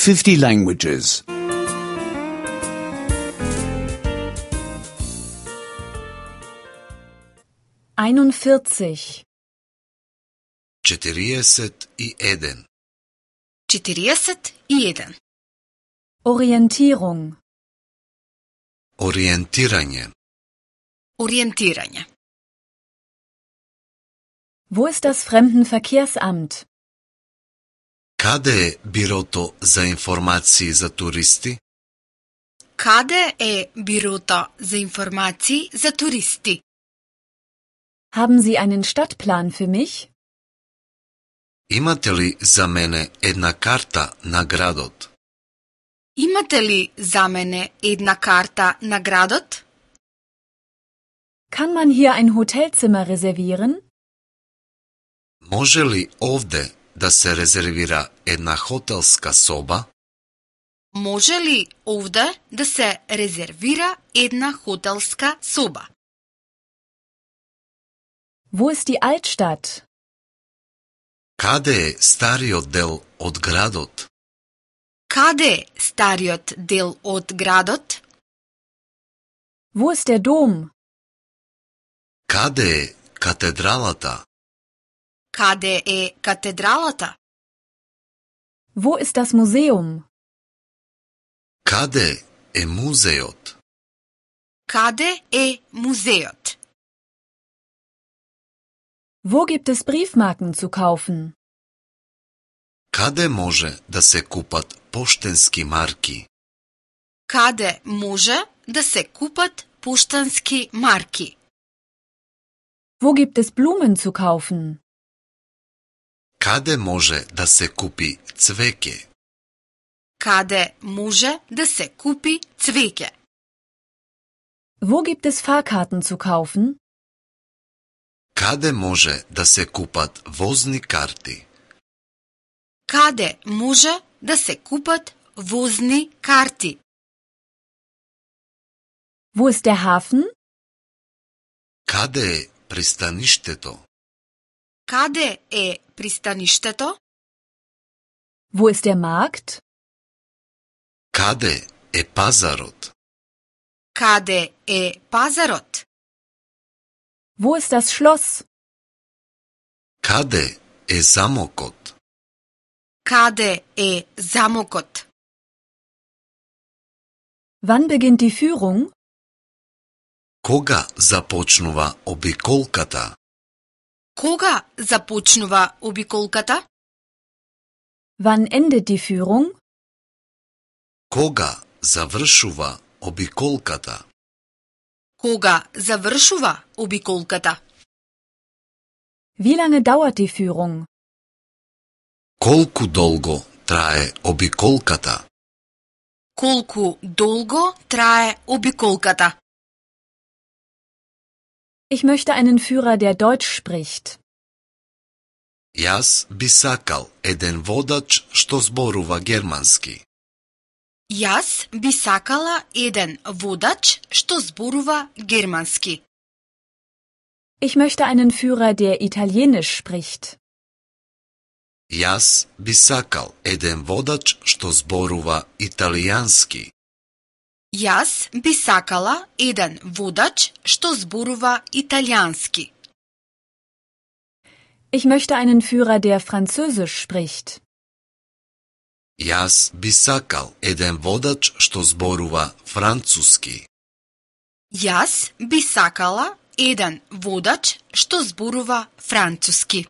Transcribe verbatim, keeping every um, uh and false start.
fifty languages. einundvierzig. четириесет и еден. четириесет и еден. Orientierung. Ориентирање. Ориентирање. Wo ist das Fremdenverkehrsamt? Каде е бирото за информации за туристи? Каде е бирото за информации за туристи? Haben Sie einen Stadtplan für mich? Имате ли за мене една карта на градот? Имате ли за мене една карта на градот? Kann man hier ein Hotelzimmer reservieren? Може ли овде да се резервира една хотелска соба? Може ли овде да се резервира една хотелска соба? Wo ist die Altstadt? Каде е стариот дел од градот? Каде е стариот дел од градот? Wo ist der Dom? Каде е катедралата? Каде е катедралата? Wo ist das Museum? Каде е музеот? Каде е музеот? Wo gibt es Briefmarken zu kaufen? Каде може да се купат поштенски марки? Каде може да се купат поштански марки? Wo gibt es Blumen zu kaufen? Каде може да се купи цвеќе? Каде може да се купи цвеќе? Wo gibt es Fahrkarten zu kaufen? Каде може да се купат возни карти? Каде може да се купат возни карти? Wo ist der Hafen? Каде е пристаништето? Каде е пристаништето? Wo ist der Markt? Каде е пазарот? Каде е пазарот? Wo ist das Schloss? Каде е замокот? Каде е замокот? Wann beginnt die Führung? Кога започнува обиколката? Кога започнува обиколката? Wann endet die Führung? Кога завршува обиколката? Кога завршува обиколката? Wie lange dauert die Führung? Колку долго трае обиколката? Колку долго трае обиколката? Ich möchte einen Führer, der Deutsch spricht. Јас би сакал еден водач што зборува германски. Јас би сакала еден водач што зборува германски. Ich möchte einen Führer, der Italienisch spricht. Јас би сакал еден водач што зборува италијански. Јас би сакала еден водач што зборува италијански. Ich möchte einen Führer, der Französisch spricht. Јас би сакал еден водач што зборува француски. Јас би сакала еден водач што зборува француски.